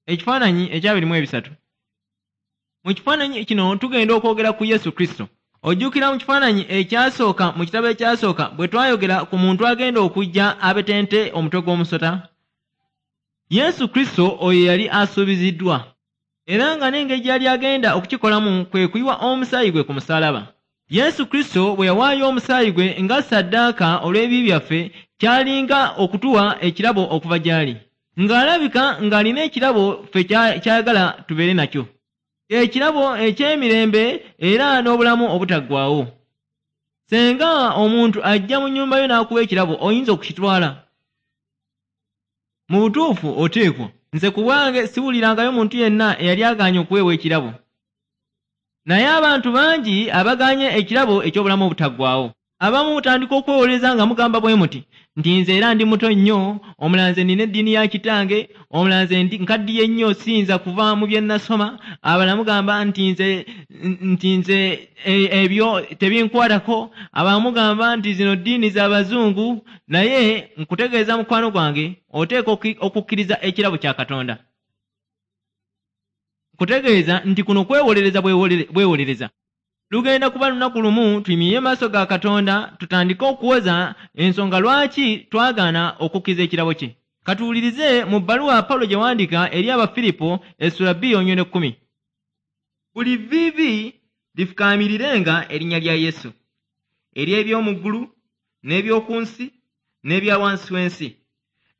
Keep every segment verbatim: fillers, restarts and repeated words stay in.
Ekifaananyi ekyabiri mu ebisatu. Mu kifaananyi kino tugenda okwogera ku Yesu Kristo. Ojjukira mu kifaananyi ekyasooka mu kitabo ekyasooka bwe twayogera ku muntu agenda okujja abetente omutwe gw'omusota? Yesu Kristo oyo yali asuubiziddwa, era nga n'engeri gy'yali agenda okukikolamu kwe kuyiwa omusaayi gwe ku musaalaba. Yesu Kristo bwe yawaayo omusaayi gwe nga ssaddaaka olw'ebibi byaffe, kyalinga okutuwa ekirabo okuva gy'ali. Ng'alabika ng'alina ekirabo ffe ky'ayagala tubeere nakyo. Ekirabo eky'emirembe era n'obulamu obutaggwaawo. Singa omuntu ajja mu nnyumba yo n'akuwa ekirabo, oyinza okukitwala? Mu butuufu oteekwa. Nze ku bwange siwulirangayo muntu yenna eyali agaanye okuweebwa ekirabo. Naye abantu bangi abagaanye ekirabo eky'obulamu obutaggwaawo. Abamu mutandika okwewolereza nga mugamba bwe muti nti nze era ndi muto nnyo, omulala nze nnina eddiini ya kitange, omulala nze nkaddiye nnyo siyinza kuva mu bye nnasoma, abalala mugamba nti nze nti nze ebyo tebinkwatako, abalala mugamba nti zino ddiini z'abazungu. Naye nkutegeeza mukwano gwange, oteekwa okukkiriza ekirabo kya Katonda. Nkutegeeza nti kuno kwewolereza bwewolereza. Lugenda kuba lunaku lumu tuyimirire maaso ga Katonda tutandike okuwoza ensonga lwaki twagaana okukkiriza ekirabo kye. Katuwulirize mu bbaluwa Pawulo gye yawandiika eri Abafiripo essula bbiri olunyiriri ekkumi. Buli vviivi lifukaamirirenga erinnya lya Yesu, ery'eby'omu ggulu n'eby'oku nsi n'ebya wansi w'ensi,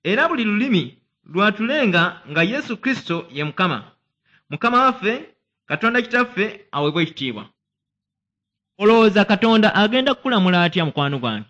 era buli lulimi lwatulenga nga Yesu Kristo ye Mukama, Mukama waffe, Katonda Kitaffe aweebwe ekitiibwa. Olowooza Katonda agenda kukulamula atya mukwano gwange?